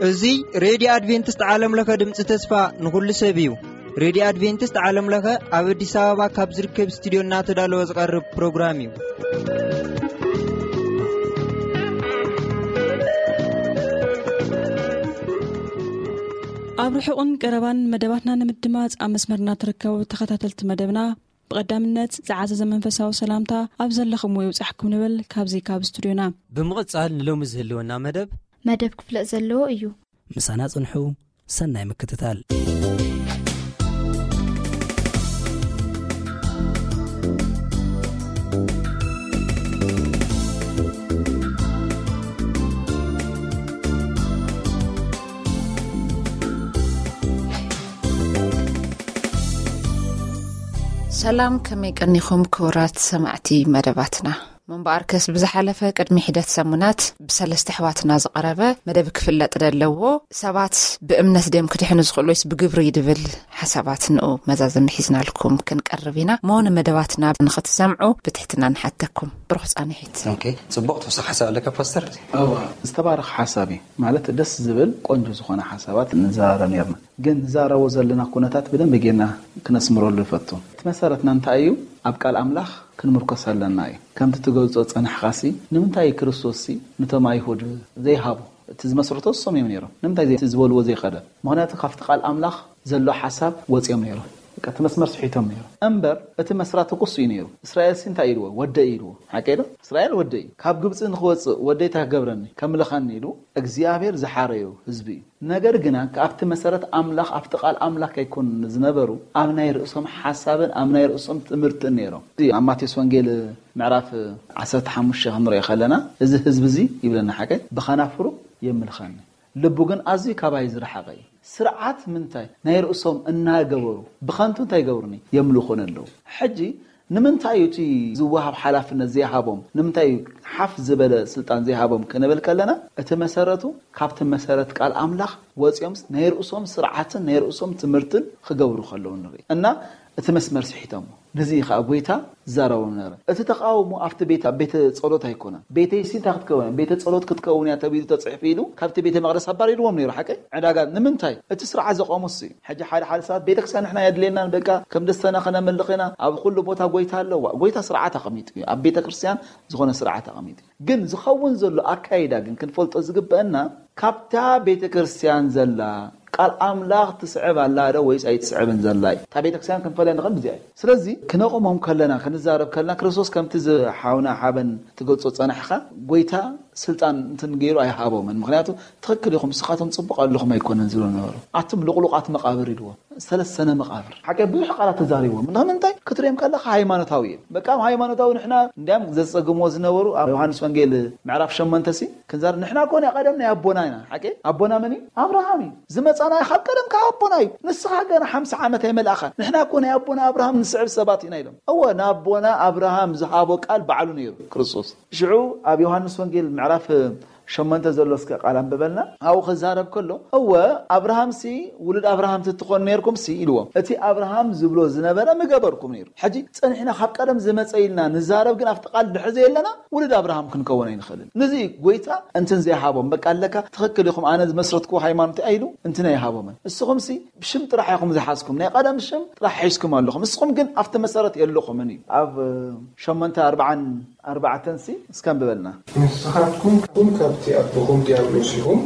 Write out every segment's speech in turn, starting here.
እዚ ሬድዮ ኣድቬንቲስት ዓለም ለኸ ድምፂ ተስፋ ንኹሉ ሰብ እዩ። ሬድዮ ኣድቬንቲስት ዓለም ለኸ ኣብ ኣዲስ ኣበባ ካብ ዝርከብ ስቱዲዮ እናተዳለወ ዝቐርብ ፕሮግራም እዩ። ኣብ ርሑቕን ቀረባን መደባትና ንምድማፅ ኣብ መስመርና ትርከቡ ተኸታተልቲ መደብና፣ ብቐዳምነት ዝዓዘዘ መንፈሳዊ ሰላምታ ኣብ ዘለኹምዎ ይብጻሕኩም ንብል ካብዚ ካብ ስቱድዮና። ብምቕጻል ንሎሚ ዝህልወና መደብ መደብ ክፍለጥ ዘለዎ እዩ። ምሳና ጽንሑ። ሰናይ ምክትታል። ሰላም፣ ከመይ ቀኒኹም ክቡራት ሰማዕቲ መደባትና? ምንባኣርከስ ብዝሓለፈ ቅድሚ ሒደት ሰሙናት ብሰለስተ ኣሕዋትና ዝቐረበ መደብ ክፍለጥ ዘለዎ ሰባት ብእምነት ድዮም ክድሕኑ ዝኽእሉ ወይስ ብግብሪ ድብል ሓሳባት ንኡ መዛዘሚ ሒዝናልኩም ክንቀርብ ኢና። እሞ ንመደባትና ንኽትሰምዑ ብትሕትና ንሓተኩም። ብሩኽ ጻንሒት። ኦኬ፣ ጽቡቕ ተወሳኺ ሓሳብ ኣለካ ፓስተር? እዋ፣ ዝተባረኸ ሓሳብ እዩ። ማለት ደስ ዝብል ቆንጆ ዝኾነ ሓሳባት ንዘራረብ ነርና። ግን ንዛረቦ ዘለና ኩነታት ብደንብ ጌርና ክነስምረሉ ይፈቱ። እቲ መሰረትና እንታይ እዩ? ኣብ ቃል ኣምላኽ ክንምርኮስ ኣለና እዩ። ከምቲ ትገልጾ ጸናሕኻሲ፣ ንምንታይ ክርስቶስሲ ነቶም ኣይሁድ ዘይሃቦ? እቲ ዝመስረቶ እሶም እዮም ነይሮም። ንምንታይ ዘይ-፣ እቲ ዝበልዎ ዘይኸደ? ምኽንያቱ ካብቲ ቃል ኣምላኽ ዘሎ ሓሳብ ወጺኦም ነይሮም። በቃ እቲ መስመር ስሒቶም ነይሮም። እምበር እቲ መስራቲ እኮ እሱ እዩ ነይሩ። እስራኤልሲ እንታይ ኢልዎ? ወደይ ኢልዎ። ሓቀይ ዶ? እስራኤል ወደይ እዩ። ካብ ግብጺ ንኽወጽእ ወደይ እንታይ ክገብረኒ? ከምልኸኒ ኢሉ እግዚኣብሔር ዝሓረዮ ህዝቢ እዩ። ነገር ግና ኣብቲ መሰረት ኣምላኽ፣ ኣብቲ ቃል ኣምላኽ ከይኮኑ ዝነበሩ፣ ኣብ ናይ ርእሶም ሓሳብን ኣብ ናይ ርእሶም ትምህርትን ነይሮም። እዚ ኣብ ማቴዎስ ወንጌል ምዕራፍ ዓሰርተ ሓሙሽተ ክንሪኦ ከለና፣ እዚ ህዝቢ እዚ ይብለና ሓቀይ፣ ብኸናፍሩ የምልኸኒ፣ ልቡ ግን ኣዝዩ ካባይ ዝረሓቐ እዩ። ስርዓት ምንታይ? ናይ ርእሶም እናገበሩ ብኸንቱ እንታይ ይገብሩኒ? የምልኹኒ ኣለዉ። ሕጂ ንምንታይ እዩ እቲ ዝወሃብ ሓላፍነት ዘይሃቦም? ንምንታይ እዩ ሓፍ ዝበለ ስልጣን ዘይሃቦም ክንብል ከለና፣ እቲ መሰረቱ ካብቲ መሰረት ቃል ኣምላኽ ወጺኦም ናይ ርእሶም ስርዓትን ናይ ርእሶም ትምህርትን ክገብሩ ከለዉ ንርኢ እና፣ እቲ መስመር ስሒቶሞ። ነዚ እዩ ኸዓ ጐይታ ዝዛረቦም ነበረ። እቲ ተቓውሞ ኣብቲ ቤት፣ ኣብ ቤተ ጸሎት ኣይኮነን። ቤተይሲ እንታይ ክትከውን እያ? ቤተ ጸሎት ክትከውን እያ ተባሂሉ ተጻሒፉ ኢሉ ካብቲ ቤተ መቕደስ ኣባሪርዎም ነይሩ። ሓቀይ ዕዳጋ ንምንታይ? እቲ ስርዓት ዘቆመ እሱ እዩ። ሕጂ ሓደ ሓደ ሰባት ቤተክርስትያን ንሕና የድልየናን፣ በቃ ከም ደስተና ከነምልኽ ኢና፣ ኣብ ኩሉ ቦታ ጐይታ ኣለዋ። ጐይታ ስርዓት ኣቐሚጡ እዩ። ኣብ ቤተክርስትያን ዝኾነ ስርዓት ኣቐሚጡ እዩ። ግን ዝኸውን ዘሎ ኣካይዳ ግን ክንፈልጦ ዝግበአና፣ ካብታ ቤተክርስትያን ዘላ ቃል ኣምላኽ ትስዕብ ኣላ ዶ ወይስ ኣይትስዕብን ዘላ እዩ። እታ ቤተክርስትያን ክንፈልያ ንኽእል ብዚኣ እዩ። ስለዚ ክነቑሞም ከለና፣ ክንዛረብ ከለና፣ ክርስቶስ ከምቲ ዝሓውና ሓበን ትገልጾ ጸናሕካ፣ ጐይታ ስልጣን እንትን ገይሩ ኣይሃቦምን። ምኽንያቱ ትኽክል ኢኹም፣ ንስኻቶም ጽቡቕ ኣለኹም ኣይኮነን ዝብሉ ነበሩ። ኣቱም ልቑሉቓት መቓብር ኢልዎም። ሰለሰነ መቓብር። ሓቂ ብዙሕ ቃላት ተዛሪቦም። ንምንታይ? ክትሪኦም ከለኻ ሃይማኖታዊ እዮም። በቃ ሃይማኖታዊ ንሕና እንዲያም ዘጸግምዎ ዝነበሩ ኣብ ዮሃንስ ወንጌል ምዕራፍ ሸሞንተ ሲ ክንዛር ንሕና እኮ ናይ ቀደም ናይ ኣቦና ኢና። ሓቂ ኣቦና መን እዩ? ኣብርሃም እዩ። ዝመጻና ካብ ቀደም ካብ ኣቦና እዩ። ንስኻ ገና ሓምሳ ዓመት ኣይመልኣኻን። ንሕና እኮ ናይ ኣቦና ኣብርሃም ንስዕብ ሰባት ኢና ኢሎም። እወ ንኣቦና ኣብርሃም ዝሃቦ ቃል ባዕሉ ነይሩ ክርስቶስ። ሽዑ ኣብ ዮሃንስ ወንጌል ምዕራፍ ሸሞንተ ዘሎ እስከ ቃል ኣንብበልና። ኣብኡ ክዛረብ ከሎ፣ እወ ኣብርሃምሲ ውሉድ ኣብርሃም ትትኾኑ ነይርኩምሲ ኢልዎም። እቲ ኣብርሃም ዝብሎ ዝነበረ ምገበርኩም ነይሩ። ሕጂ ጸኒሕና ካብ ቀደም ዝመጸ ኢልና ንዛረብ፣ ግን ኣብቲ ቃል ድሕሪ ዘየለና ውሉድ ኣብርሃም ክንከውን ኣይንኽእልን። ነዚ እዩ ጐይታ እንትን ዘይሃቦም። በቃ ኣለካ ትኽክል ኢኹም፣ ኣነ ዝመስረትኩዎ ሃይማኖት ኣይሉ እንትን ኣይሃቦምን። እስኹምሲ ብሽም ጥራሕ ኢኹም ዝሓዝኩም፣ ናይ ቀደም ሽም ጥራሕ ሒዝኩም ኣለኹም። እስኹም ግን ኣብቲ መሰረት የለኹምን እዩ። ኣብ ሸሞንተ ኣርብዓን ኣርባዕተን ሲ እስከ ኣንብበልና። ንስኻትኩም እውን ካብቲ ኣቦኹም ዲያብሎስ ኢኹም፣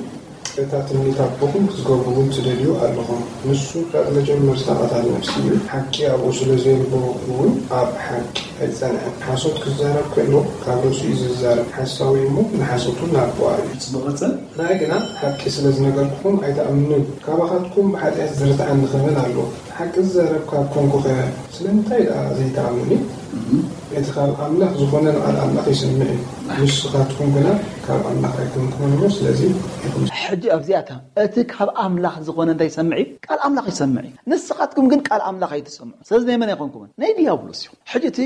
እታ ትምኒት ኣቦኹም ክትገብሩ እውን ትደልዩ ኣለኹም። ንሱ ካብ መጀመርታ ቀታሊ ነፍሲ እዩ፣ ሓቂ ኣብኡ ስለ ዘየልቦ እውን ኣብ ሓቂ ኣይጸንዐን። ሓሶት ክዛረብ ከሎ ካብ ርእሱ እዩ ዝዛረብ፣ ሓሳዊ እዩ እሞ ንሓሶቱ ናቦኣ እዩ። ጽቡቕ ቀጽል። ንኣይ ግና ሓቂ ስለ ዝነገርኩኹም ኣይትኣምኑን። ካባኻትኩም ብሓጢኣት ዝርትዓኒ ክብል ኣሎ። ሓቂ ዝዛረብ ካብ ኮንኩኸ ስለምንታይ ደኣ ዘይትኣምኑኒ? እቲ ካብ ኣምላኽ ዝኾነ ንቓል ኣምላኽ ይሰምዕ እዩ። ንስኻትኩም ግና ካብ ኣምላኽ ኣይኮንኩምን እሞ፣ ስለዚ ኣይኮንኩምን። ሕጂ ኣብዚኣታ እቲ ካብ ኣምላኽ ዝኾነ እንታይ ይሰምዕ እዩ? ቃል ኣምላኽ ይሰምዕ እዩ። ንስኻትኩም ግን ቃል ኣምላኽ ኣይትሰምዑ። ስለዚ ናይ መን ኣይኮንኩምን? ናይ ዲያብሎስ እዩ። ሕጂ እቲ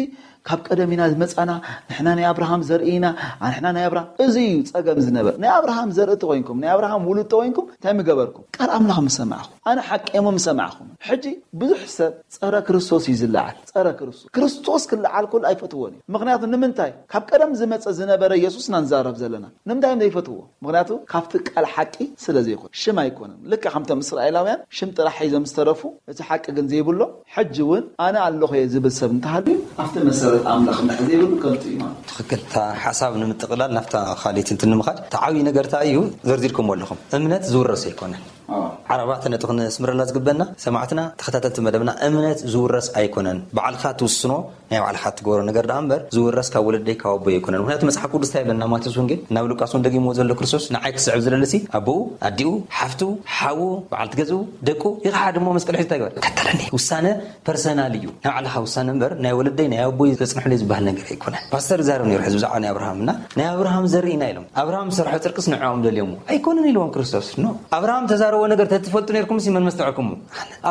ካብ ቀደም ኢና ዝመጻና፣ ንሕና ናይ ኣብርሃም ዘርኢ ኢና፣ ንሕና ናይ ኣብርሃም፣ እዚ እዩ ጸገም ዝነበር። ናይ ኣብርሃም ዘርኢ ተኾይንኩም፣ ናይ ኣብርሃም ውሉድ ተኾይንኩም እንታይ ምገበርኩም? ቃል ኣምላኽ ምሰማዕኹም። ኣነ ሓቂ እሞ ምሰማዕኹም። ሕጂ ብዙሕ ሰብ ጸረ ክርስቶስ እዩ ዝለዓል። ጸረ ክርስቶስ። ክርስቶስ ክለዓል ከሎ ኣይፈትዎን እዩ። ምኽንያቱ ንምንታይ? ካብ ቀደም ዝመጸ ዝነበረ ኢየሱስ ኢና ንዛረብ ዘለና። ንምንታይ እዮም ዘይፈትዎ? ምኽንያቱ ካብቲ ቃል ሓቂ ስለ ዘይኮነ። ሽም ኣይኮነን። ልክዕ ከምቶም እስራኤላውያን ሽም ጥራሕ ሒዞም ዝተረፉ፣ እቲ ሓቂ ግን ዘይብሎም፣ ሕጂ እውን ኣነ ኣለኹ እየ ዝብል ሰብ እንተሃልዩ፣ ኣብቲ መሰረት ኣምላኽ እንድሕር ዘይብሉ ከንቱ እዩ ማለት እዩ። ትኽክል። እታ ሓሳብ ንምጥቕላል ናብታ ካልኣይቲ እንትን ንምኻድ፣ እቲ ዓብዪ ነገር እንታይ እዩ? ዘርዚርኩምዎ ኣለኹም። እምነት ዝውረስ ኣይኮነን። ኣዎ። ኣርባዕተ ነጥቢ ክነስምረላ ዝግበና፣ ሰማዕትና፣ ተኸታተልቲ መደብና፣ እምነት ዝውረስ ኣይኮነን። ባዕልኻ ትውስኖ፣ ናይ ባዕልኻ ትገብሮ ነገር ደኣ እምበር፣ ዝውረስ ካብ ወለደይ ካብ ኣቦይ ኣይኮነን። ምኽንያቱ መጽሓፍ ቅዱስ እንታይ ይብለና? ማቴዎስ ወንጌል፣ ናብ ሉቃስ እውን ደጊምዎ ዘሎ ክርስቶስ፣ ንዓይ ክስዕብ ዝደሊ ሲ፣ ኣቦኡ፣ ኣዲኡ፣ ሓፍቱ፣ ሓዉ፣ በዓልቲ ገዝኡ፣ ደቁ፣ ይኽሓድ እሞ መስቀል ሒዙ እንታይ ይግበር? ከተለኒ። ውሳነ ፐርሰናል እዩ። ናይ ባዕልኻ ውሳነ እምበር፣ ናይ ወለደይ፣ ናይ ኣቦይ ዘጽንሑለይ ዝበሃል ነገር ኣይኮነን። ፓስተር ይዛረብ ነይሩ ሕዚ ብዛዕባ ናይ ኣብርሃም እና፣ ናይ ኣብርሃም ዘርኢ ኢና ኢሎም። ኣብርሃም ዝሰርሖ ጽድቅስ ንዕኦም ደልዮምዎ ኣይኮነን ኢልዎም ክርስቶስ። ኖ። ኣብርሃም ተዛረቦ ነገር ተትፈልጡ ነይርኩም ሲ መን መስተውዐልኩምዎ?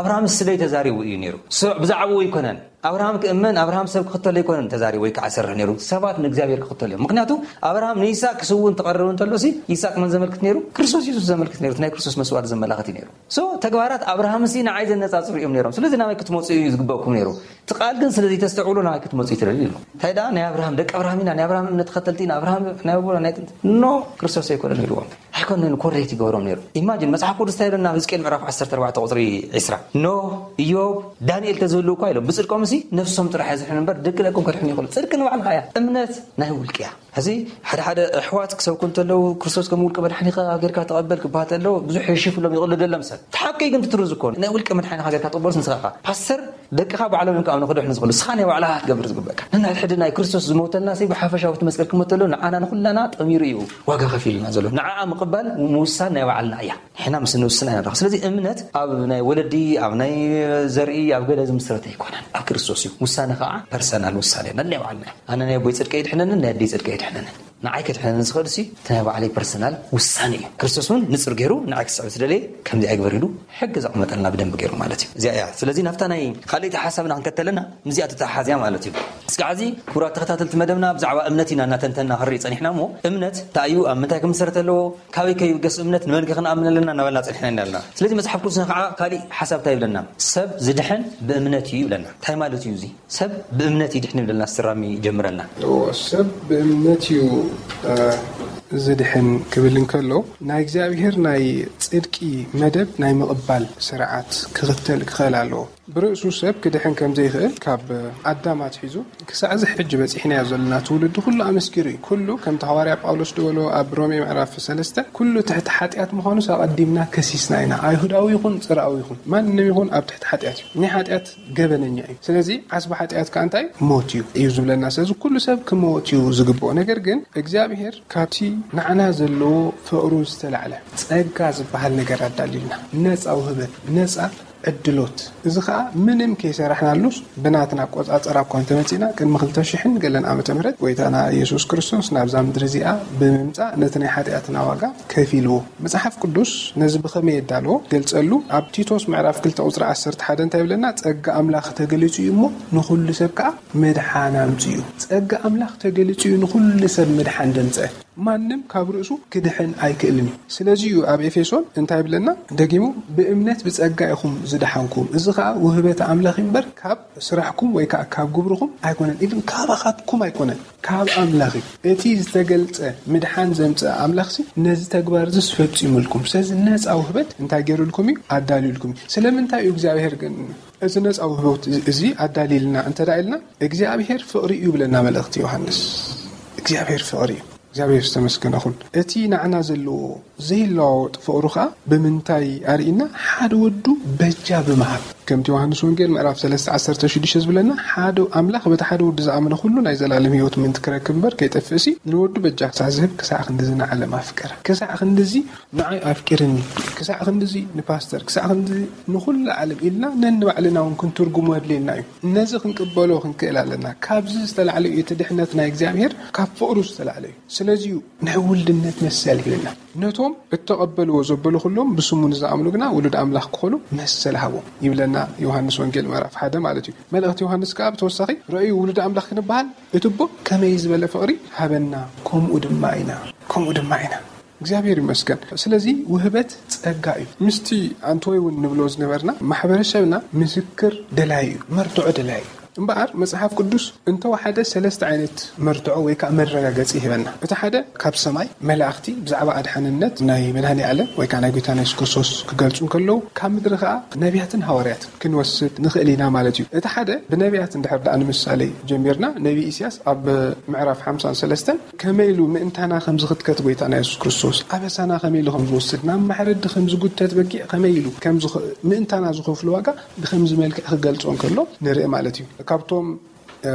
ኣብርሃም ስለይ ተዛሪቡ እዩ ነይሩ። ሶ ብዛዕባኡ ኣይኮነን። ኣብርሃም ክእመን፣ ኣብርሃም ሰብ ክኽተሎ ኣይኮነን ተዛሪቡ ወይ ከዓ ዝሰርሕ ነይሩ። ሰባት ንእግዚኣብሔር ክኽተሉ እዮም። ምኽንያቱ ኣብርሃም ንይስሐቅ ክስውእ እንትቐርብ እንተሎ ሲ፣ ይስሐቅ መን ዘመልክት ነይሩ? ክርስቶስ የሱስ ዘመልክት ነይሩ። እቲ ናይ ክርስቶስ መስዋዕቲ ዘመላኽት እዩ ነይሩ። ሶ ተግባራት ኣብርሃም ሲ ንዓይ ዘነጻጽሩ እዮም ነይሮም። ስለዚ ናበይ ክትመጹ እዩ ዝግበእኩም ነይሩ? እቲ ቃል ግን ስለ ዘይተስተውዕሉ ናበይ ክትመጹ እዩ ትደልዩ ኢሉ። እንታይ ደኣ ናይ ኣብርሃም ደቂ ኣብርሃም ኢና፣ ናይ ኣብርሃም እምነት ተኸተልቲ ኢና፣ ኣብርሃም ናይ ኣቦና ናይ ጥንቲ። ኖ፣ ክርስቶስ ኣይኮነን ኢልዎም። ኣይኮነን ኮሬክት ይገብሮም ነይሩ። ኢማጂን መጽሓፍ ቅዱስ እንታይ ይብለና? ኣብ ሕዝቅኤል ምዕራፍ ዓሰርተ ኣርባዕተ ቁጽሪ ዕስራ፣ ኖህ፣ ኢዮብ፣ ዳንኤል ተዝህልው እኳ ኢሎም ብጽድቆም ሲ ነፍሶም ጥራሕ የዝሕኑ እምበር ደቂ ደቆም ከድሕኑ ይኽእሉ። ጽድቂ ንባዕልኻ እያ። እምነት ናይ ውልቂ እያ። ሕዚ ሓደ ሓደ ኣሕዋት ክሰብኩ እንተለዉ ክርስቶስ ከም ውልቂ መድሓኒኻ ጌርካ ተቐበል ክበሃል ተሎ ብዙሕ የሽፍሎም ይቕልደሎም ሰብ። እቲ ሓቂ ግን ትትሩ ዝኾነ ናይ ውልቂ መድሓኒኻ ጌርካ ትቕበልስ ንስኻ ኢኻ። ፓስተር ደቅኻ ባዕሎም እዮም ክኣምኑ ክድሕኑ ዝኽእሉ። ንስኻ ናይ ባዕልኻ ክትገብር ዝግበእካ። ነንሕድሕድና እዩ ክርስቶስ ዝሞተልና ሲ ብሓፈሻዊ እቲ መስቀል ክሞት ተሎ ንዓና ንኹላና ጠሚሩ እዩ ዋጋ ከፊሉና ዘሎ። ንዓኣ ምቕባል ምውሳን ናይ ባዕልና እያ። ንሕና ምስ ንውስን ኢና ንረኽብ። ስለዚ እምነት ኣብ ናይ ወለዲ፣ ኣብ ናይ ዘርኢ፣ ኣብ ገለ ዝምስረት ኣይኮነን። ኣብ ክርስቶስ እዩ። ውሳነ ከዓ ፐርሰናል ውሳነ ነናይ ባዕልና እዩ። ኣነ ናይ ኣቦይ ጽድቂ የድሕነንን ናይ ኣደይ ጽድቂ የድሕነንን። ንዓይ ከድሕነኒ ዝኽእል ሲ እቲ ናይ ባዕለይ ፐርሰናል ውሳነ እዩ። ክርስቶስ እውን ንጹር ገይሩ ንዓይ ክስዕብ ዝደለየ ከምዚ ኣይግበር ኢሉ ሕጊ ዘቐመጠልና ብደንቢ ገይሩ ማለት እዩ። እዚኣ እያ። ስለዚ ናብታ ናይ ካልኣይቲ ሓሳብና ክንከተለና ምስዚኣ ተተሓሓዝያ ማለት እዩ። እስካዕ እዚ ክቡራት ተኸታተልቲ መደብና ብዛዕባ እምነት ኢና እናተንተና ክንርኢ ጸኒሕና እሞ እምነት እንታይ እዩ? ኣብ ምንታይ ክምሰረት ኣለዎ? ካበይ ከይብገስ እምነት? ንመን ከ ክንኣምን ኣለና? እናበልና ጸኒሕና ኢና ኣለና። ስለዚ መጽሓፍ ቅዱስና ከዓ ካሊእ ሓሳብ እንታይ ይብለና? ሰብ ዝድሕን ብእምነት እዩ ይብለና። እንታይ ማለት እዩ እዚ? ሰብ ብእምነት ይድሕን ይብለና፣ ኣስተራሚ ይጀምረልና። እዎ፣ ሰብ ብእምነት እዩ፣ እ፣ ዝድሕን ክብል እንከሎ፣ ናይ እግዚኣብሔር ናይ ጽድቂ መደብ ናይ ምቕባል ስርዓት ክኽተል ክኽእል ኣለዎ። ብርእሱ ሰብ ክድሕን ከም ዘይኽእል ካብ ኣዳም ኣትሒዙ ክሳዕ እዚ ሕጂ በጺሕናዮ ዘለና ትውልዲ ኩሉ ኣመስኪሩ እዩ። ኩሉ ከምቲ ሃዋርያ ጳውሎስ ዝበሎ ኣብ ሮሜ ምዕራፍ ሰለስተ፣ ኩሉ ትሕቲ ሓጢኣት ምዃኑስ ኣቐዲምና ከሲስና ኢና። ኣይሁዳዊ ይኹን ጽርኣዊ ይኹን ማንም ይኹን ኣብ ትሕቲ ሓጢኣት እዩ። ናይ ሓጢኣት ገበነኛ እዩ። ስለዚ ዓስቢ ሓጢኣት ከኣ እንታይ? ሞት እዩ፣ እዩ ዝብለና። ስለዚ ኩሉ ሰብ ክመወት እዩ ዝግብኦ። ነገር ግን እግዚኣብሔር ካብቲ ንዓና ዘለዎ ፍቕሩ ዝተላዕለ ጸጋ ዝበሃል ነገር ኣዳልዩልና። ነጻ ውህበት፣ ነጻ ዕድሎት። እዚ ኸኣ ምንም ከይሰራሕናሉስ ብናትና ኣቆጻጽራ እኳ እንተመጺእና ቅድሚ ክልተ ሽሕን ገለን ዓመተ ምህረት ጎይታና ኢየሱስ ክርስቶስ ናብዛ ምድሪ እዚኣ ብምምጻእ ነቲ ናይ ሓጢኣትና ዋጋ ከፊልዎ። መጽሓፍ ቅዱስ ነዚ ብኸመይ የዳልዎ? ገልጸሉ። ኣብ ቲቶስ ምዕራፍ ክልተ ቁጽሪ ዓሰርተ ሓደ እንታይ ይብለና? ጸጋ ኣምላኽ ተገሊጹ እዩ እሞ ንኹሉ ሰብ ከኣ ምድሓን ኣምጺኡ። ጸጋ ኣምላኽ ተገሊጹ እዩ ንኹሉ ሰብ ምድሓን ዘምጽአ። ማንም ካብ ርእሱ ክድሕን ኣይክእልን እዩ። ስለዚ እዩ ኣብ ኤፌሶን እንታይ ይብለና? ደጊሙ ብእምነት ብጸጋ ኢኹም ዝደሓንኩም። እዚ ከኣ ውህበተ ኣምላኽ እዩ እምበር ካብ ስራሕኩም ወይ ከኣ ካብ ግብርኹም ኣይኮነን። ኢቭን ካባኻትኩም ኣይኮነን። ካብ ኣምላኽ እዩ። እቲ ዝተገልጸ ምድሓን ዘምጽአ ኣምላኽሲ ነዚ ተግባር እዚስ ፈጺሙልኩም። ስለዚ ነጻ ውህበት እንታይ ገይሩልኩም እዩ? ኣዳልዩልኩም እዩ። ስለምንታይ እዩ እግዚኣብሔር ግን እዚ ነጻ ውህበት እዚ ኣዳልዩልና እንተ ደኣ ኢልና፣ እግዚኣብሔር ፍቕሪ እዩ ይብለና መልእኽቲ ዮሃንስ። እግዚኣብሔር ፍቕሪ እዩ። እግዚኣብሔር ዝተመስገነ ይኹን። እቲ ንዓና ዘለዎ ዘይለዋወጥ ፍቕሩ ኸኣ ብምንታይ ኣርኢና? ሓደ ወዱ በጃ ብምሃብ። ከምቲ ዮሃንስ ወንጌል ምዕራፍ ሰለስተ ዓሰርተ ሽዱሽተ ዝብለና፣ ሓደ ኣምላኽ በቲ ሓደ ወዱ ዝኣመነ ኩሉ ናይ ዘላለም ህይወት ምእንቲ ክረክብ እምበር ከይጠፍእሲ፣ ንወዱ በጃ ክሳዕ ዝህብ ክሳዕ ክንድዚ ንዓለም ኣፍቀረ። ክሳዕ ክንድዚ ንዓይ ኣፍቂርኒ፣ ክሳዕ ክንድዚ ንፓስተር፣ ክሳዕ ክንድዚ ንኹሉ ዓለም ኢልና ነንባዕልና እውን ክንትርጉሞ ኣድልየና እዩ። ነዚ ክንቅበሎ ክንክእል ኣለና። ካብዚ ዝተላዕለ እዩ እቲ ድሕነት ናይ እግዚኣብሔር፣ ካብ ፍቕሩ ዝተላዕለ እዩ። ስለዚ እዩ ናይ ውልድነት መሰል ሂብና። ነቶም እተቐበልዎ ዘበሉ ኩሎም ብስሙ ንዝኣምኑ ግና ውሉድ ኣምላኽ ክኾኑ መሰል ሃቦም ይብለና ዮሃንስ ወንጌል ምዕራፍ ሓደ ማለት እዩ። መልእኽቲ ዮሃንስ ከኣ ብተወሳኺ ረእዩ ውሉድ ኣምላኽ ክንበሃል እቲ ኣቦ ከመይ ዝበለ ፍቕሪ ሃበና፣ ከምኡ ድማ ኢና፣ ከምኡ ድማ ኢና። እግዚኣብሔር ይመስገን። ስለዚ ውህበት ጸጋ እዩ። ምስቲ ኣንቶይ እውን ንብሎ ዝነበርና ማሕበረሰብና ምስክር ደላይ እዩ፣ መርትዖ ደላይ እዩ። እምበኣር መጽሓፍ ቅዱስ እንተወሓደ ሰለስተ ዓይነት መርትዖ ወይ ከዓ መረጋገጺ ይህበና። እቲ ሓደ ካብ ሰማይ መላእኽቲ ብዛዕባ ኣድሓንነት ናይ መድኃኔ ዓለም ወይ ከዓ ናይ ጐይታና የሱስ ክርስቶስ ክገልጹ እንከለዉ፣ ካብ ምድሪ ከዓ ነቢያትን ሃዋርያትን ክንወስድ ንኽእል ኢና ማለት እዩ። እቲ ሓደ ብነቢያት እንድሕር ደኣ ንምሳሌ ጀሚርና፣ ነቢ ኢሳያስ ኣብ ምዕራፍ ሓምሳን ሰለስተን ከመይ ኢሉ ምእንታና ከም ዝኽትከት ጐይታና የሱስ ክርስቶስ፣ ኣበሳና ከመይ ኢሉ ከም ዝወስድ፣ ናብ ማሕረዲ ከም ዝጉተት በጊዕ ከመይ ኢሉ ከም ዝኸ-፣ ምእንታና ዝኸፍሎ ዋጋ ብኸምዚ መልክዕ ክገልጾ እንከሎ ንርኢ ማለት እዩ። ካብቶም፣ እ፣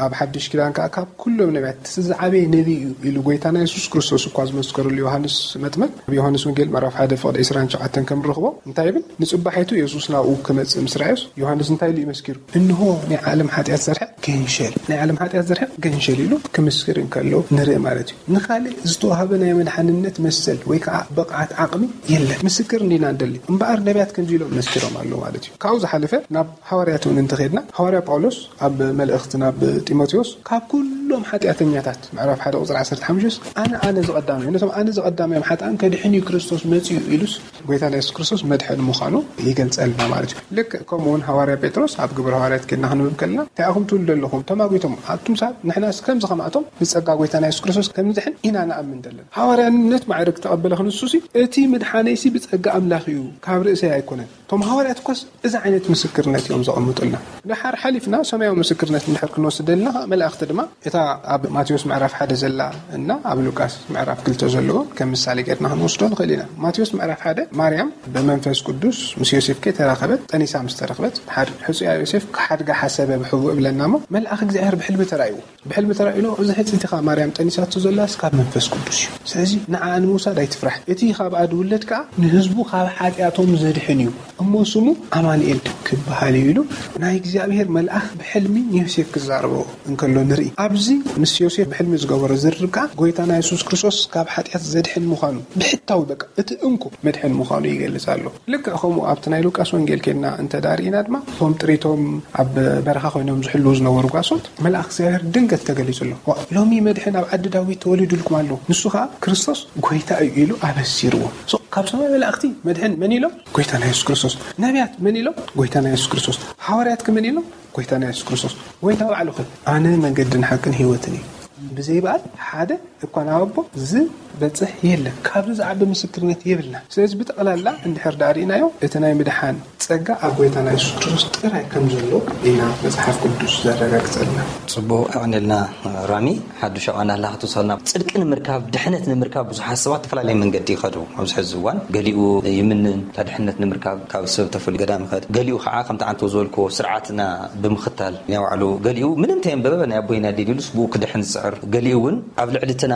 ኣብ ሓድሽ ኪዳን ከኣ ካብ ኩሎም ነቢያት እቲ ዝዓበየ ነቢ እዩ ኢሉ ጐይታና የሱስ ክርስቶስ እኳ ዝመስከረሉ ዮሃንስ መጥምቅ፣ ኣብ ዮሃንስ ወንጌል ምዕራፍ ሓደ ፍቕዲ ዕስራን ትሽዓተን ከም ንረኽቦ እንታይ ይብል? ንጽባሒቱ የሱስ ናብኡ ክመጽእ ምስ ረኣዮስ ዮሃንስ እንታይ ኢሉ እዩ መስኪሩ? እንሆ ናይ ዓለም ሓጢኣት ዘርሕቕ ገንሸል፣ ናይ ዓለም ሓጢኣት ዘርሕቕ ገንሸል ኢሉ ክምስክር እንከሎ ንርኢ ማለት እዩ። ንኻልእ ዝተዋህበ ናይ መድሓንነት መሰል ወይ ከዓ ብቕዓት ዓቕሚ የለን። ምስክር እንዲና እንደሊ። እምበኣር ነቢያት ከምዚ ኢሎም መስኪሮም ኣለዉ ማለት እዩ። ካብኡ ዝሓለፈ ናብ ሃዋርያት እውን እንተኸድና፣ ሃዋርያ ጳውሎስ ኣብ መልእኽቲ ናብ ጢሞቴዎስ ካብ ኩሎም ሓጢኣተኛታት፣ ምዕራፍ ሓደ ቁጽሪ ዓሰርተ ሓሙሽተ፣ ኣነ፣ ኣነ ዝቐዳሚ እዩ፣ ነቶም ኣነ ዝቐዳሚ እዮም ሓጥኣን ከድሕን እዩ ክርስቶስ መጺኡ ኢሉስ፣ ጎይታና የሱስ ክርስቶስ መድሕን ምዃኑ ይገልጸልና ማለት እዩ። ልክዕ ከምኡ እውን ሃዋርያ ጴጥሮስ ኣብ ግብረ ሃዋርያት ኬድና ክንብብ ከለና፣ እንታይ ኢኹም ትብሉ ዘለኹም? ተማጒቶም ኣቱም ሰባት፣ ንሕናስ ከምዚ ከማእቶም ብጸጋ ጎይታና የሱስ ክርስቶስ ከም ንድሕን ኢና ንኣምን ዘለና። ሃዋርያነት ማዕረግ ዝተቐበለ ክንሱሲ፣ እቲ ምድሓነይሲ ብጸጋ ኣምላኽ እዩ፣ ካብ ርእሰይ ኣይኮነን። እቶም ሃዋርያት እኮስ እዚ ዓይነት ምስክርነት እዮም ዘቐምጡልና። ድሓር ሓሊፍና ሰማያዊ ምስክርነት እንድሕር ክንወስድ ደለና፣ መላእኽቲ ድማ እታ ኣብ ማቴዎስ ምዕራፍ ሓደ ዘላ እና ኣብ ሉቃስ ምዕራፍ ክልተ ዘለዎ ከም ምሳሌ ጌርና ክንወስዶ ንኽእል ኢና። ማቴዎስ ምዕራፍ ሓደ ማርያም ብመንፈስ ቅዱስ ምስ ዮሴፍ ከይተራኸበት ጠኒሳ ምስ ተረኽበት፣ ድሓር ሕጹያ ዮሴፍ ክሓድጋ ሓሰበ ብሕቡእ እብለና እሞ፣ መልኣኽ እግዚኣብሔር ብሕልሚ ተራእይዎ። ብሕልሚ ተራእዩ ኣሎ፣ እዚ ሕጽይቲ ኸኣ ማርያም ጠኒሳቶ ዘላስ ካብ መንፈስ ቅዱስ እዩ። ስለዚ ንዓኣ ንምውሳድ ኣይትፍራሕ። እቲ ኻብኣ ዝውለድ ከኣ ንህዝቡ ካብ ሓጢኣቶም ዘድሕን እዩ። እሞ ስሙ ኣማኑኤል ክበሃል እዩ ኢሉ ናይ እግዚኣብሔር መልኣኽ ብሕልሚ ንዮሴፍ ክዛረቦ እንከሎ ንርኢ። ኣብዚ ምስ ዮሴፍ ብሕልሚ ዝገበሮ ዝርርብ ከኣ ጎይታና የሱስ ክርስቶስ ካብ ሓጢኣት ዘድሕን ምዃኑ ብሕታዊ በቃ እቲ እንኮ መድሕን ምዃኑ ይገልጽ ኣሎ። ልክዕ ከምኡ ኣብቲ ናይ ሉቃስ ወንጌል ኬድና እንተ ዳርኢና ድማ እቶም ጥሪቶም ኣብ በረኻ ኮይኖም ዝሕልዉ ዝነበሩ ጓሶት መልኣኽ እግዚኣብሔር ድንገት ተገሊጹ ኣሎ። ዋ፣ ሎሚ መድሕን ኣብ ዓዲ ዳዊት ተወሊዱልኩም ኣሎ፣ ንሱ ኸኣ ክርስቶስ ጎይታ እዩ ኢሉ ኣበሲርዎ። ሶ፣ ካብ ሰማይ መላእኽቲ መድሕን መን ኢሎም? ጎይታና የሱስ ክርስቶስ። ነቢያት መን ኢሎም? ጎይታና የሱስ ክርስቶስ። ሃዋርያት ከ መን ኢሎም? ጎይታና የሱስ ክርስቶስ። ጎይታ ባዕሉ ኸ ኣነ መንገድን ሓቅን ህይወትን እዩ፣ ብዘይ በኣል ሓደ እኳ ናብ ኣቦ ዝበጽሕ የለን። ካብዚ ዝዓቢ ምስክርነት የብልና። ስለዚ ብጠቕላላ እንድሕር ደኣ ርኢናዮ፣ እቲ ናይ ምድሓን ጸጋ ኣብ ጎይታና የሱስ ክርስቶስ ጥራይ ከም ዘሎ ኢና መጽሓፍ ቅዱስ ዘረጋግጸልና። ጽቡቕ፣ ኣቕንልና ራሚ። ሓዱሽ ኣቐናላ ክትውሰልና። ጽድቂ ንምርካብ፣ ድሕነት ንምርካብ ብዙሓት ሰባት ዝተፈላለየ መንገዲ ይኸዱ። ኣብዚ ሕዚ እዋን ገሊኡ ይምንን፣ እታ ድሕነት ንምርካብ ካብ ሰብ ተፈልዩ ገዳም ይኸድ። ገሊኡ ከዓ ከምቲ ኣንተ ዝበልክዎ ስርዓትና ብምኽታል ናይ ባዕሉ፣ ገሊኡ ምንም ተየንበበ ናይ ኣቦይና ዲን ኢሉስ ብኡ ክድሕን ዝጽዕር፣ ገሊኡ እውን ኣብ ልዕሊ እትና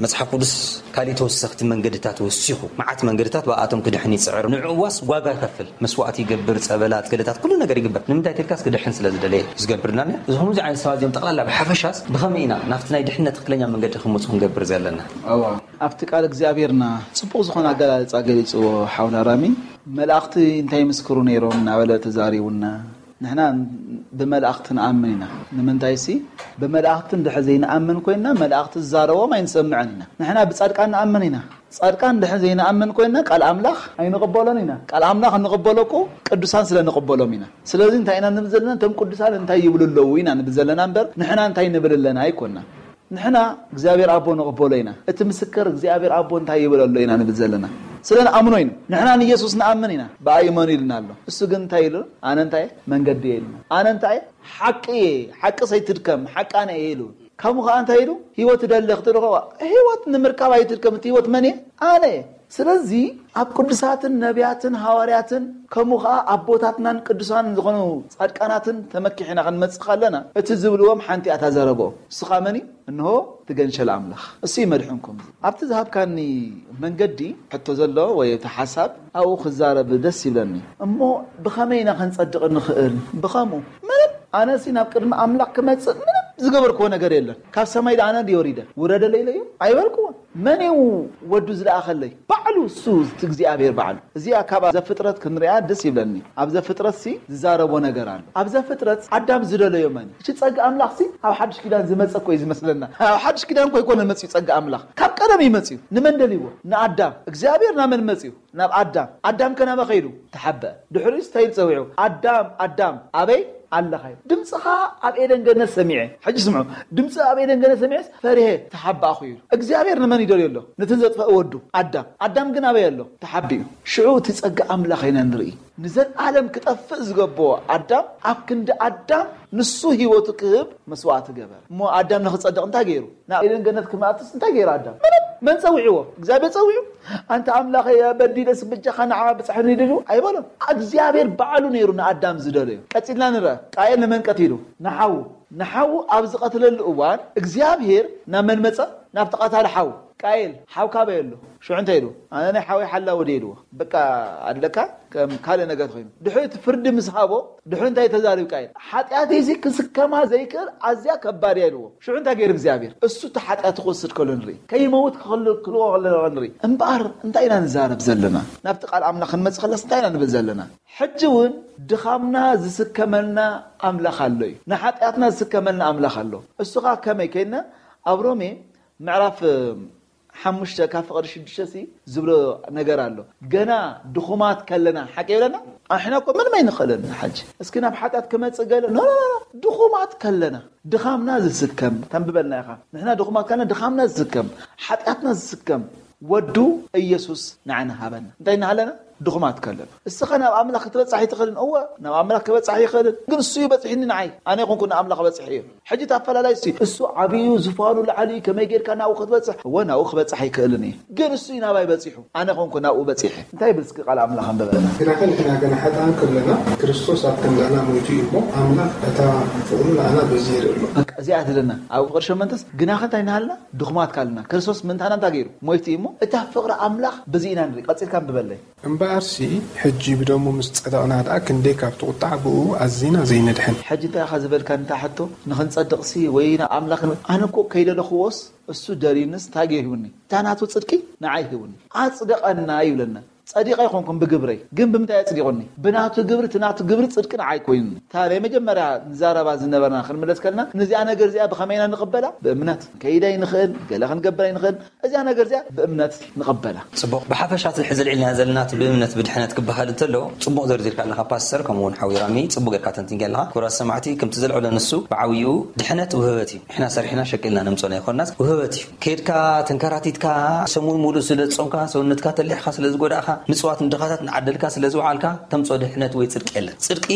መጽሓፍ ቅዱስ ካልእ ተወሰኽቲ መንገድታት ወሲኹ፣ መዓት መንገድታት ብኣቶም ክድሕን ይጽዕር። ንዕኡ ዋስ ዋጋ ይኸፍል፣ መስዋእቲ ይገብር፣ ጸበላት፣ ገለታት፣ ኩሉ ነገር ይግበር። ንምንታይ ተልካስ ክድሕን ስለ ዝደለየ እዩ ዝገብርልና። እዚ ከምዚ ዓይነት ሰባት እዚኦም ጠቕላላ ብሓፈሻስ ብኸመይ ኢና ናብቲ ናይ ድሕነት ትኽክለኛ መንገዲ ክመጹ ክንገብር ዘለና? እዋ፣ ኣብቲ ቃል እግዚኣብሔርና ጽቡቕ ዝኾነ ኣገላልጻ ገሊጽዎ ሓውና ራሚ። መላእኽቲ እንታይ ይምስክሩ ነይሮም እናበለ ተዛሪቡና። ንሕና ብመላእኽቲ ንኣምን ኢና። ንምንታይሲ፣ ብመላእኽቲ እንድሕር ዘይንኣምን ኮይንና፣ መላእኽቲ ዝዛረቦም ኣይንሰምዕን ኢና። ንሕና ብጻድቃን ንኣምን ኢና። ጻድቃን እንድሕር ዘይንኣምን ኮይንና፣ ቃል ኣምላኽ ኣይንቕበሎን ኢና። ቃል ኣምላኽ እንቕበሎ እኮ ቅዱሳን ስለ ንቕበሎም ኢና። ስለዚ እንታይ ኢና ንብል ዘለና? እቶም ቅዱሳን እንታይ ይብሉ ኣለዉ ኢና ንብል ዘለና እምበር፣ ንሕና እንታይ ንብል ኣለና ኣይኮንና። ንሕና እግዚኣብሔር ኣቦ ንቕበሎ ኢና። እቲ ምስክር እግዚኣብሔር ኣቦ እንታይ ይብል ኣሎ ኢና ንብል ዘለና። ስለ ንኣምኖ ኢና። ንሕና ንየሱስ ንኣምን ኢና። ብኣይ እመኑ ኢልና ኣሎ። እሱ ግን እንታይ ኢሉ? ኣነ እንታይ እየ? መንገዲ እየ ኢልና። ኣነ እንታይ እየ? ሓቂ እየ። ሓቂ ሰይትድከም፣ ሓቂ ኣነ እየ ኢሉ። ከምኡ ከዓ እንታይ ኢሉ? ህይወት እደሊ ክትብል ከዋ፣ ህይወት ንምርካብ ኣይትድከም፣ እቲ ህይወት መን እየ? ኣነ እየ። ስለዚ ኣብ ቅዱሳትን ነቢያትን ሃዋርያትን ከምኡ ከዓ ኣቦታትናን ቅዱሳን ዝኾኑ ጻድቃናትን ተመኪሕና ክንመጽእ ከለና እቲ ዝብልዎም ሓንቲ እያ እታ ዘረብኦም። ንስኻ መን እዩ? እንሆ እቲ ገንሸል ኣምላኽ፣ እሱ እዩ መድሕንኩም። ኣብቲ ዝሃብካኒ መንገዲ ሕቶ ዘሎ ወይ እቲ ሓሳብ ኣብኡ ክዛረብ ደስ ይብለኒ። እሞ ብኸመይ ኢና ክንጸድቕ ንኽእል? ብኸምኡ ምንም፣ ኣነሲ ናብ ቅድሚ ኣምላኽ ክመጽእ ምንም ዝገበርክዎ ነገር የለን። ካብ ሰማይ ደኣ ኣነ ድየ ወሪደ? ውረደለይ ኢለዮ ኣይበልክዎን። መን እዩ ወዱ ዝለኣኸለይ? ባዕሉ እሱ፣ እቲ እግዚኣብሔር ባዕሉ። እዚኣ ካብ ዘፍጥረት ክንሪኣ ደስ ይብለኒ። ኣብ ዘፍጥረት ሲ ዝዛረቦ ነገር ኣሎ። ኣብ ዘፍጥረት ኣዳም ዝደለዮ መን እዩ? እቲ ጸጋ ኣምላኽ ሲ ኣብ ሓድሽ ኪዳን ዝመጸ እኮ እዩ ዝመስለና። ኣብ ሓድሽ ኪዳን እኮ ኣይኮነን መጺኡ ጸጋ ኣምላኽ። ካብ ቀደም እዩ መጺኡ። ንመን ደልይዎ? ንኣዳም። እግዚኣብሔር ናብ መን መጺኡ? ናብ ኣዳም። ኣዳም ከ ናበይ ከይዱ? ተሓበአ። ድሕሪኡስ እንታይ ኢሉ ጸዊዑ? ኣዳም፣ ኣዳም፣ ኣበይ ኣለኻ? ድምፅኻ ኣብ ኤደን ገነት ሰሚዐ። ሕጂ ስምዑ። ድምፂ ኣብ ኤደን ገነት ሰሚዐስ ፈሪሄ ተሓባእኹ ኢሉ። እግዚኣብሔር ንመን ይደልዮ ኣሎ? ነቲ ዘጥፈአ ወዱ ኣዳም። ኣዳም ግን ኣበይ ኣሎ? ተሓቢኡ። ሽዑ እቲ ጸጋ ኣምላኽ ኢና ንርኢ። ንዘለኣለም ክጠፍእ ዝገበኦ ኣዳም ኣብ ክንዲ ኣዳም ንሱ ህይወቱ ክህብ መስዋዕቲ ገበረ። እሞ ኣዳም ንኽጸድቕ እንታይ ገይሩ? ናብ ኤደን ገነት ክመእትስ እንታይ ገይሩ ኣዳም? ምንም። መን ጸዊዕዎ? እግዚኣብሔር ጸዊዑ። ኣንታ ኣምላኸ በዲለስ ብጃኻ ንዓ ብጽሕኒ ድሉ ኣይበሎም። እግዚኣብሔር ባዕሉ ነይሩ ንኣዳም ዝደለዮ። ቀጺልና ንርአ። ቃየል ንመን ቀቲሉ? ንሓዉ። ንሓዉ ኣብ ዝቐትለሉ እዋን እግዚኣብሔር ናብ መን መጸ? ናብቲ ቀታሊ ሓዉ። ቃየል፣ ሓው ካበይ ኣሎ? ሽዑ እንታይ ኢሉ? ኣነ ናይ ሓወይ ሓላዊ ድየ ኢልዎ። በቃ ኣለካ ከም ካልእ ነገር ኮይኑ። ድሕሪ እቲ ፍርዲ ምስ ሃቦ፣ ድሕሪ እንታይ ተዛሪቡ ቃየል? ሓጢኣተይሲ ክስከማ ዘይክእል ኣዝያ ከባድ እያ ኢልዎ። ሽዑ እንታይ ገይሩ እግዚኣብሔር? እሱ እቲ ሓጢኣቱ ክወስድ ከሎ ንርኢ። ከይመውት ክኽልክልዎ ከለና ንርኢ። እምበኣር እንታይ ኢና ንዛረብ ዘለና? ናብቲ ቃል ኣምላኽ ክንመጽእ ከለስ እንታይ ኢና ንብል ዘለና? ሕጂ እውን ድኻምና ዝስከመልና ኣምላኽ ኣሎ እዩ። ንሓጢኣትና ዝስከመልና ኣምላኽ ኣሎ። እሱ ኸኣ ከመይ ከይድና ኣብ ሮሜ ምዕራፍ ሓሙሽተ ካብ ፍቕሪ ሽዱሽተ ሲ ዝብሎ ነገር ኣሎ። ገና ድኹማት ከለና፣ ሓቂ ይብለና? ኣሕና እኮ ምንም ኣይንኽእልን። ሓጂ እስኪ ናብ ሓጢኣት ክመጽእ ገለ፣ ኖ፣ ኖ፣ ኖ፣ ኖ። ድኹማት ከለና፣ ድኻምና ዝስከም፣ ተንብበልና ኢኻ። ንሕና ድኹማት ከለና፣ ድኻምና ዝስከም፣ ሓጢኣትና ዝስከም ወዱ ኢየሱስ ንዓና ሃበና። እንታይ እናሃለና? ድኹማት ከለና። እስኻ ናብ ኣምላኽ ክትበጻሕ ኣይትኽእልን። እወ፣ ናብ ኣምላኽ ክበጻሕ ይኽእልን። ግን እሱ እዩ በጺሕኒ ንዓይ። ኣነ ይኹንኩ ንኣምላኽ በጺሐ እየ። ሕጂ እቲ ኣፈላላይ እሱ እዩ። እሱ ዓብዩ፣ ዙፋኑ ላዕሊ እዩ። ከመይ ጌርካ ናብኡ ክትበጽሕ? እወ፣ ናብኡ ክበጽሕ ኣይክእልን እየ። ግን እሱ እዩ ናባይ በጺሑ። ኣነ ኾንኩ ናብኡ በጺሐ። እንታይ ይብል እስኪ ቃል ኣምላኽ ኣንብበልና። ግናኸ ንሕና ገና ሓጥኣን ከለና፣ ክርስቶስ ኣብ ክንዳና ሞይቱ እዩ እሞ፣ ኣምላኽ እታ ፍቕሩ ንኣና በዚ የርኢ ኣሎ። በቃ፣ እዚኣ ትለና። ኣብ ፍቕሪ ሸመንተስ፣ ግናኸ እንታይ እናሃልና? ድኹማት ካልና። ክርስቶስ ምንታና እንታይ ገይሩ? ሞይቱ እዩ እሞ፣ እታ ፍቕሪ ኣምላኽ በዚ ኢና ንርኢ። ቀጺልካ ኣንብበለይ። እምበኣርሲ፣ ሕጂ ብደሙ ምስ ጸደቕና ደኣ፣ ክንደይ ካብቲ ቁጥዓ ብእኡ ኣዚና ዘይንድሕን። ሕጂ እንታይ ኢኻ ዝበልካ ነታ ሕቶ? ንኽንጸድቕሲ ወይ ናብ ኣምላኽ ን-፣ ኣነ እኮ ከይደለኽዎስ እሱ ደልዩንስ እንታይ ገይሩ ሂቡኒ? እታ ናቱ ጽድቂ ንዓይ ሂቡኒ። ኣጽደቐና ይብለና። ጸዲቐ ኣይኮንኩን ብግብረይ፣ ግን ብምንታይ ኣጽዲቑኒ? ብናቱ ግብሪ፣ እቲ ናቱ ግብሪ ጽድቂ ንዓይ ኮይኑኒ። እታ ናይ መጀመርያ ንዛረባ ዝነበርና ክንምለስ ከለና፣ ነዚኣ ነገር እዚኣ ብኸመይ ኢና ንቕበላ? ብእምነት። ከይድ ኣይንኽእል፣ ገለ ክንገብር ኣይንኽእል። እዚኣ ነገር እዚኣ ብእምነት ንቐበላ። ጽቡቕ። ብሓፈሻ እቲ ሕዚ ኣልዒልናዮ ዘለና እቲ ብእምነት ብድሕነት ክበሃል እንተሎ፣ ጽቡቕ ዘርዚርካ ኣለኻ ፓስተር፣ ከምኡ እውን ሓዊ ራሚ፣ ጽቡቕ ጌርካ ተንቲንካ ኣለኻ። ክቡራት ሰማዕቲ፣ ከምቲ ዘልዕሎ ንሱ ብዓብይኡ ድሕነት ውህበት እዩ። ንሕና ሰሪሕና ሸቂልና ነምጾ ናይ ኮናስ ውህበት እዩ። ኬድካ ተንከራቲትካ ሰሙን ሙሉእ ስለ ዝጾምካ፣ ሰውነትካ ተሊሕካ ስለ ዝጎዳእካ፣ ምጽዋት ንድኻታት ንዓደልካ ስለ ዝወዓልካ፣ ተምጾ ድሕነት ወይ ጽድቂ የለን። ጽድቂ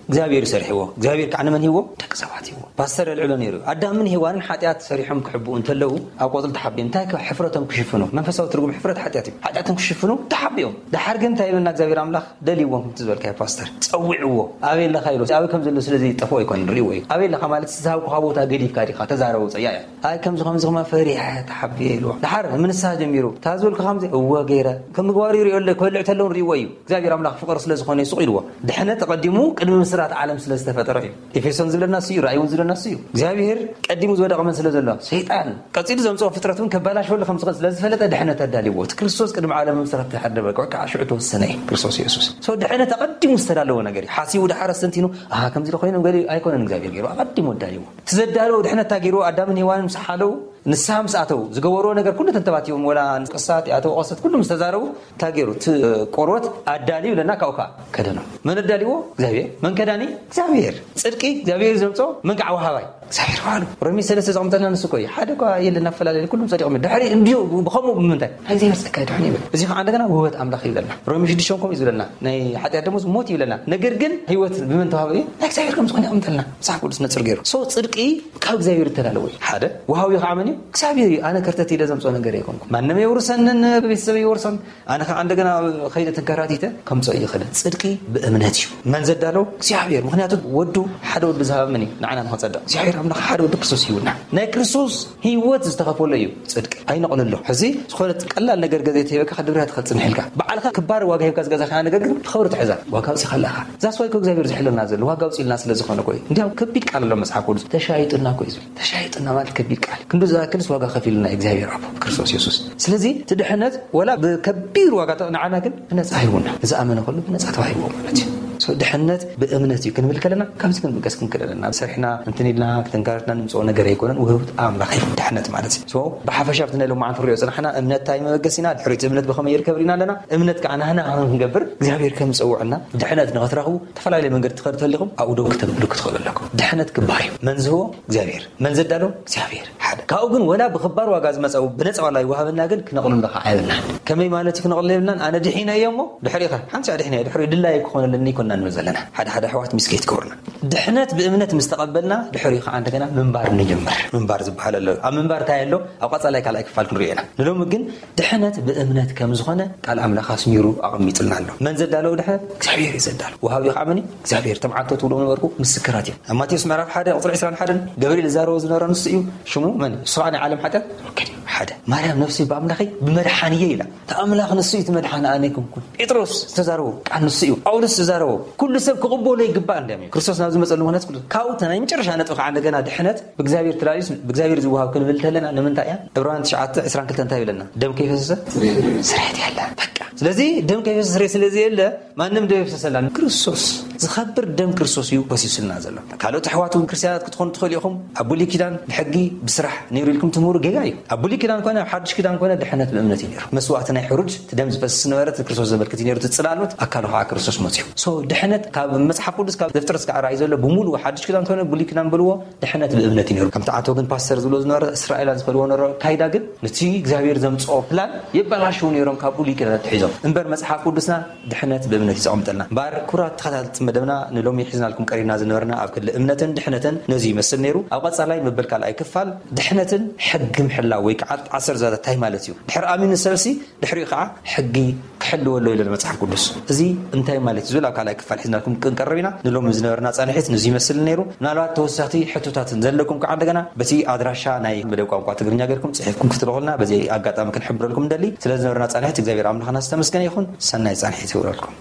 እግዚኣብሔር እዩ ሰሪሕዎ። እግዚኣብሔር ከዓ ንመን ሂዎ? ደቂ ሰባት ሂዎ። ፓስተር የልዕሎ ነይሩ። ኣዳምን ሄዋንን ሓጢኣት ሰሪሖም ክሕብኡ እንተለዉ፣ ኣብ ቆጽሊ ተሓቢኦም እንታይ ከ-፣ ሕፍረቶም ክሽፍኑ? መንፈሳዊ ትርጉም ሕፍረት ሓጢኣት እዩ። ሓጢኣቶም ክሽፍኑ ተሓቢኦም። ደሓር ግን እንታይ ይብለና እግዚኣብሔር ኣምላኽ? ደልይዎም፣ ከምቲ ዝበልካዮ ፓስተር። ጸዊዕዎ። ኣበይ ኣለኻ ኢሉ። ኣበይ ከም ዘሎ ስለ ዘይጠፍኦ ኣይኮነን፣ ርእይዎ እዩ። ኣበይ ኣለኻ ማለት፣ ዝሃብኩኻ ቦታ ገዲፍካ ዲኻ? ተዛረብ፣ ውጸእ። ያ፣ ያ። ኣይ፣ ከምዚ፣ ከምዚ፣ ከማ ፈሪሐ፣ ተሓቢኤ ኢልዎ። ደሓር፣ ምንሳ ጀሚሩ። እታ ዝበልኩ ከምዚ፣ እወ፣ ገይረ። ከም ምግባሩ ይርእዮ ኣሎ፣ ክበልዕ ተለውን ርእይዎ እዩ። እግዚኣብሔር ኣምላኽ ፍቕሪ ስለ ዝኾነ እዩ ስቕ ኢልዎ። ድሕነት ኣቐዲሙ ቅድሚ ምስራት ዓለም ስለ ዝተፈጠረ እዩ። ኤፌሶን ዝብለና እሱ እዩ፣ ራእይ እውን ዝብለና እሱ እዩ። እግዚኣብሔር ቀዲሙ ዝወደቐ መን ስለ ዘሎ? ሰይጣን። ቀጺሉ ዘምጽኦ ፍጥረት እውን ከባላሸወሉ ከም ዝኽእል ስለ ዝፈለጠ ድሕነት ኣዳልይዎ። እቲ ክርስቶስ ቅድሚ ዓለም ምስራት ድሓር ደበቀ፣ ከዓ ሽዑ ተወሰነ እዩ። ክርስቶስ የሱስ። ሶ ድሕነት ኣቐዲሙ ዝተዳለወ ነገር እዩ። ሓሲቡ ድሓር ኣስተንቲኑ፣ ኣሃ፣ ከምዚ ዶ ኮይኑ ገለ ኣይኮነን፣ እግዚኣብሔር ገይሩ ኣቐዲሙ ኣዳልይዎ። እቲ ዘዳለወ ድሕነት እንታይ ገይርዎ? ኣዳምን ሄዋንን ምስ ሓለዉ፣ ንስሓ ምስ ኣተዉ፣ ዝገበርዎ ነገር ኩሉ ተንተባቲቦም፣ ወላ ንቅሳት፣ ኣተወቀሰት ኩሉ ምስ ተዛረቡ፣ እንታይ ገይሩ? እቲ ቆርበት ኣዳልዩ ኢለና፣ ካብኡ ከዓ ከደኖም። መን ኣዳልይዎ? እግዚኣብሔር። መን ከዳኒ? እግዚኣብሔር። ጽድቂ እግዚኣብሔር እዩ ዘምጾ፣ መን ከዓ ወሃባይ? እግዚኣብሔር ባዕሉ ሮሜ ሰለስተ ዘቐምጠልና ንሱ እኮ እዩ። ሓደ እኳ የለን ኣፈላለየ፣ ኩሎም ጸዲቖም እዮም። ድሕሪ እንዲሁ ብኸምኡ ብምንታይ? ናይ እግዚኣብሔር ጸጋ ይድሕኑ ይብል። እዚ ከዓ እንደገና ውህበት ኣምላኽ ይብለና። ሮሜ ሽዱሽተ ከምኡ እዩ ዝብለና። ናይ ሓጢኣት ደሞዝ ሞት ይብለና። ነገር ግን ህይወት ብመን ተዋህበ እዩ? ናይ እግዚኣብሔር ከም ዝኾነ ይቐምጠልና። መጽሓፍ ቅዱስ ነጽር ገይሩ። ሶ ጽድቂ ካብ እግዚኣብሔር እተላለወ እዩ። ሓደ፣ ወሃቢ ከዓ መን እዩ? እግዚኣብሔር እዩ። ኣነ ከርተት ኢለ ዘምጽኦ ነገር ኣይኮንኩ። ማንም የውርሰንን ቤተሰብ ይወርሶን። ኣነ ከዓ እንደገና ከይደ ተንከራቲተ ከምጽኦ ይኽእል። ጽድቂ ብእምነት እዩ። መን ዘዳለው? እግዚኣብሔር። ምኽንያቱ ወዱ፣ ሓደ ወዱ ዝሃበ መን እዩ? ንዓና ንኸጸድቕ። እግዚኣብሔር ኣምላኽ ሓደ ወዱ ክርስቶስ ይውና። ናይ ክርስቶስ ህይወት ዝተኸፈሎ እዩ ጽድቂ። ኣይነቕልሎ። ሕዚ ዝኾነ ቀላል ነገር ገዛ ተሂበካ ከድብርያ ትኽእል ጽንሕ ኢልካ። ባዕልኻ ክባር ዋጋ ሂብካ ዝገዛኻ ነገር ግን ብኸብሪ ትሕዛ። ዋጋ ኣውጺኻ ኣለኻ። ዛስ ዋይ እኮ እግዚኣብሔር ዝሕለና ዘሎ ዋጋ ኣውጺልና ስለ ዝኾነ እኮ እዩ። እንዲያው ከቢድ ቃል ኣሎ መጽሓፍ ቅዱስ። ተሻይጥና እኮ እዩ ዝብል። ተሻይጥና ማለት ከቢድ ቃል። ክንዱ ዝኣክልስ ዋጋ ከፊልና እዩ እግዚኣብሔር ኣቦ ብክርስቶስ የሱስ። ስለዚ እቲ ድሕነት ወላ ብከቢድ ዋጋ ተ-፣ ንዓና ግን ብነጻ ሂቡና። ዝኣመነ ኩሉ ብነጻ ተዋሂብዎ ማለት እዩ። ሶ ድሕነት ብእምነት እዩ ክንብል ከለና ካብዚ ክንብገስ ክንክእል ኣለና። ሰሪሕና እንትን ኢልና ክንካረትና ንምጽኦ ነገር ኣይኮነን። ውህብት ኣምላኽ እዩ ድሕነት ማለት እዩ። ሶ ብሓፈሻ ኣብቲ ናይ ሎማዓንቲ ንሪኦ ጽናሕና እምነት እንታይ መበገሲና፣ ድሕሪት እምነት ብኸመይ ይርከብ ሪና ኣለና። እምነት ከዓ ናህና ክንገብር እግዚኣብሔር ከም ዝጸውዐና ድሕነት ንኸትረኽቡ ዝተፈላለየ መንገዲ ትኸዱ ተሊኹም ኣብኡ ደው ክተብሉ ክትኽእሉ ኣለኩም። ድሕነት ክባር እዩ። መን ዝህቦ? እግዚኣብሔር። መን ዘዳሎ? እግዚኣብሔር። ሓደ። ካብኡ ግን ወላ ብኽባር ዋጋ ዝመጸ ብነጻ ዋላ ይወሃበና ግን ክነቕልሎ ከዓ የብልናን። ከመይ ማለት እዩ ክነቕልሎ የብልናን? ኣነ ድሒነ እየ እሞ ድሕሪኻ ሓንቲ ድሒነ እየ፣ ድሕሪ ድላይ ክኾነለኒ ይኮና ንብል ዘለና። ሓደ ሓደ ኣሕዋት ሚስኬት ክብርና። ድሕነት ብእምነት ምስ ተቐበልና ድሕሪ ከዓ እንደገና ምንባር ንጀምር። ምንባር ዝበሃል ኣሎ። ኣብ ምንባር እንታይ ኣሎ? ኣብ ቀጻላይ ካልኣይ ክፋል ክንሪኦ ኢና። ንሎሚ ግን ድሕነት ብእምነት ከም ዝኾነ ቃል ኣምላኽ ኣስሚሩ ኣቐሚጥልና ኣሎ። መን ዘዳለዎ ድሕነት? እግዚኣብሔር እዩ ዘዳለዎ። ወሃቢ ከዓ መን እዩ? እግዚኣብሔር። እቶም ዓንቶ ትብሎ ነበርኩ ምስክራት እዮም። ኣብ ማቴዎስ ምዕራፍ ሓደ ቁፅሪ ዕስራን ሓደን ገብርኤል ዝዛረቦ ዝነበረ ንሱ እዩ። ሽሙ መን? ንሱ ከዓ ናይ ዓለም ሓጢኣት ወከል እዩ። ሓደ። ማርያም ነፍሲ ብኣምላኸይ ብመድሓንየ ኢላ። እቲ ኣምላኽ ንሱ እዩ እቲ መድሓኒ ኣነ ኣይኮንኩን። ጴጥሮስ ዝተዛረቦ ቃል ንሱ እዩ። ጳውሎስ ዝተዛረቦ ኩሉ ሰብ ክቕበሎ ይግባእ እንዲያም እዩ። ክርስቶስ ናብ ዝመፀሉ ምኽንያት ኩሉ ካብኡ እቲ ናይ መጨረሻ ነጥቢ ከዓ እንደገና ድሕነት ብእግዚኣብሔር ተላልዩስ ብእግዚኣብሔር ዝወሃብ ክንብል እንተለና ንምንታይ እያ? ዕብራውያን ትሽዓተ ዕስራን ክልተን እንታይ ይብለና? ደም ከይፈሰሰ ስርየት የለን። በቃ። ስለዚ ደም ከይፈሰሰ ስርየት ስለ ዘየለ ማንም ደም የፍሰሰላ። ክርስቶስ፣ ዝኸብር ደም ክርስቶስ እዩ ፈሲሱልና ዘሎ። ካልኦት ኣሕዋት እውን ክርስትያናት ክትኾኑ ትኽእሉ ኢኹም። ኣብ ብሉይ ኪዳን ብሕጊ ብስራሕ ነይሩ ኢልኩም ትምህሩ ጌጋ እዩ። ኣብ ብሉይ ኪዳን ኮነ ኣብ ሓድሽ ኪዳን ኮነ ድሕነት ብእምነት እዩ ነይሩ። መስዋእቲ ናይ ሕሩድ እቲ ደም ዝፈስስ ነበረ፣ እቲ ክርስቶስ ዘመልክት እዩ ነይሩ። እቲ ጽላሎት ኣካሉ ከዓ ክርስቶስ መጽዩ። ሶ ድሕነት ካብ መጽሓፍ ቅዱስ ካብ ዘፍጥረት እስካዕ ራእይ ዘሎ ብምሉኡ ሓድሽ ኪዳን ኮነ ብሉይ ኪዳን በልዎ ድሕነት ብእምነት እዩ ነይሩ። ከምቲ ኣቶ ግን ፓስተር ዝብሎ ዝነበረ እስራኤላን ዝኸድዎ ነበረ ካይዳ ግን ነቲ እግዚኣብሔር ዘምጽኦ ፕላን የበላሽው ነይሮም ካብ ብሉይ ኪዳን ኣትሒዞም። እምበር መጽሓፍ ቅዱስና ድሕነት ብእምነት እዩ ዘቐምጠልና። እምበር ክቡራት ተኸታተልቲ መደብና ንሎሚ ሒዝናልኩም ቀሪብና ዝነበርና ኣብ ክሊ እምነትን ድሕነትን ነዚ ይመስል ነይሩ። ኣብ ቀጻላይ መበል ካልኣይ ክፋል ድሕነትን ሕጊ ምሕላው ወይ ከዓ ዓሰርተ ዛዛት እንታይ ማለት እዩ? ድሕሪ ኣሚኑ ሰብሲ ድሕሪኡ ከዓ ሕጊ ክሕልወ ኣሎ ኢሉ መጽሓፍ ቅዱስ። እዚ እንታይ ማለት እዩ ዝብል ኣብ ካልኣይ ክፋል ሒዝናልኩም ክንቀርብ ኢና። ንሎሚ ዝነበረና ጻንሒት ንዚ ይመስል ነይሩ። ምናልባት ተወሳኽቲ ሕቶታት ዘለኩም ከዓ እንደገና በቲ ኣድራሻ ናይ መደብ ቋንቋ ትግርኛ ጌርኩም ጽሒፍኩም ክትልኹልና በዚ ኣጋጣሚ ክንሕብረልኩም እንደሊ። ስለ ዝነበረና ጻንሒት እግዚኣብሔር ኣምላኽና ዝተመስገነ ይኹን። ሰናይ ጻንሒት ይውረድኩም።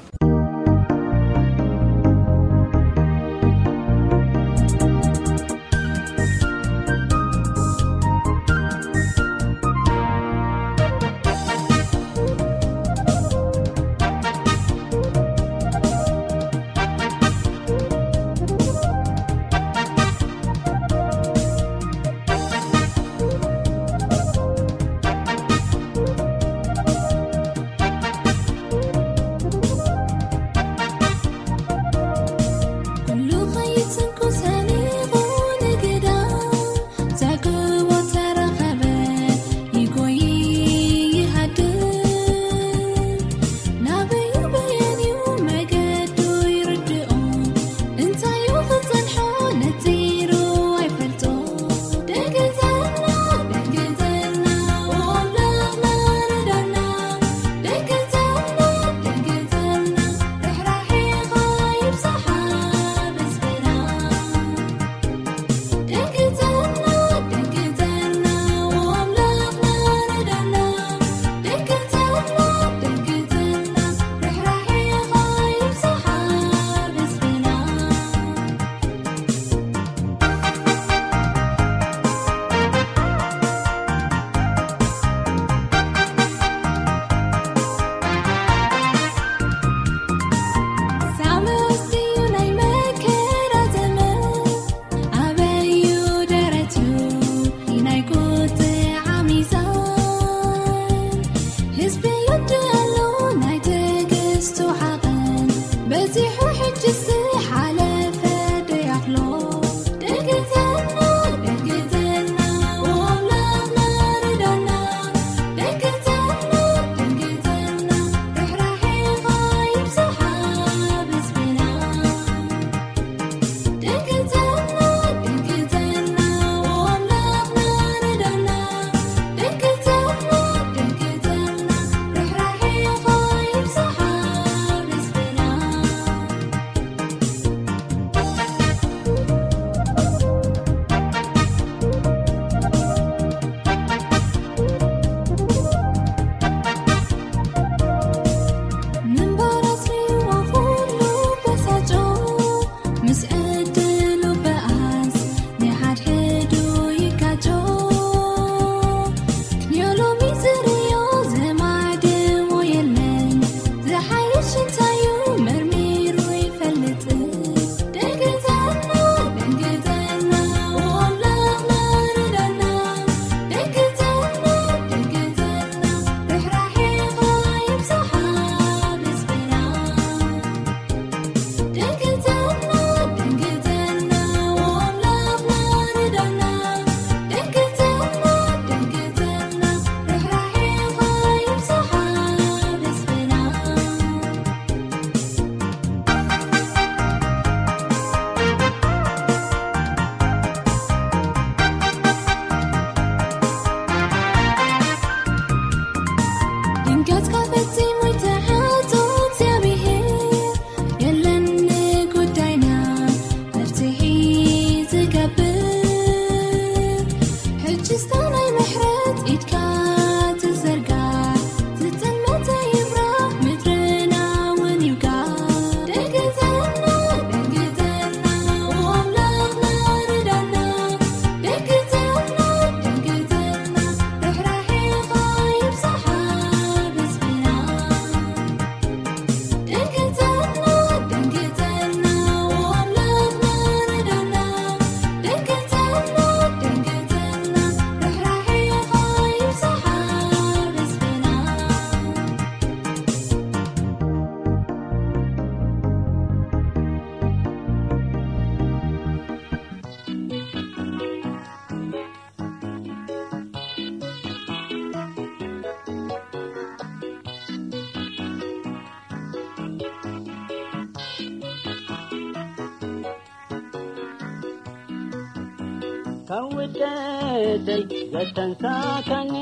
ካብ ውድቀተይ ዘተንሳካኒ፣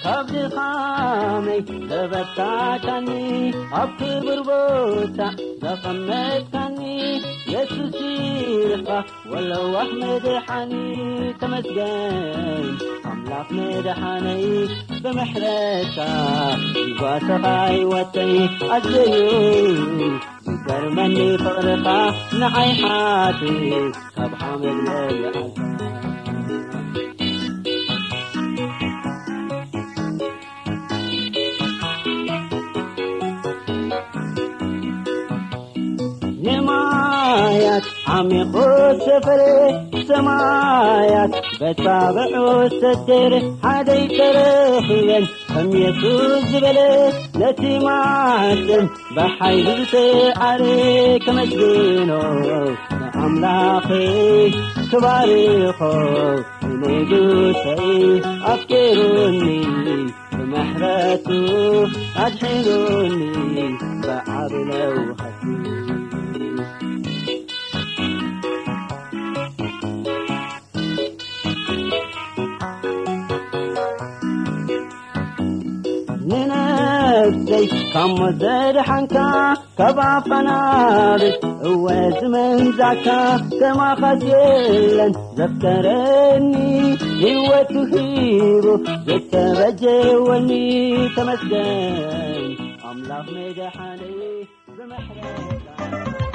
ካብ ድኻመይ ዘበርታካኒ፣ ኣብ ክቡር ቦታ ዘቐመጥካኒ፣ የሱስ ኢኻ ወለዋህ መድሓኒ። ተመስገን ኣምላኽ መድሓነይ፣ ብምሕረትካ ይጓሰኻ ህይወተይ። ኣዘዩ ዝገርመኒ ፍቕርኻ ንዓይ ሓትት ካብ ሓመድ ለሊዓልካ። ንማያት ዓሚቑ ሰፈረ፣ ሰማያት በታብዑ ሰደረ፣ ሓደይ ተረኺበን ከም የሱስ ዝበለ፣ ነቲ ማዕተብ ብሓይሉ ዝተዓረ። ከመስግኖ ንኣምላኸይ ክባርኾ፣ ንንጉሰይ ኣፍቂሩኒ፣ ብምሕረቱ ኣድሒኑኒ ብዓቢ ለውሃት። ንነፍሰይ ካብ ሞት ዘድሓንካ፣ ካብ ኣፋናብት እወ ዝመንዛካ፣ ከማኻስ የለን ዘፍቀረኒ፣ ህይወቱ ሂቡ ዝተበጀወኒ። ተመስገን ኣምላኽ መድሓነይ፣ ብምሕረትካ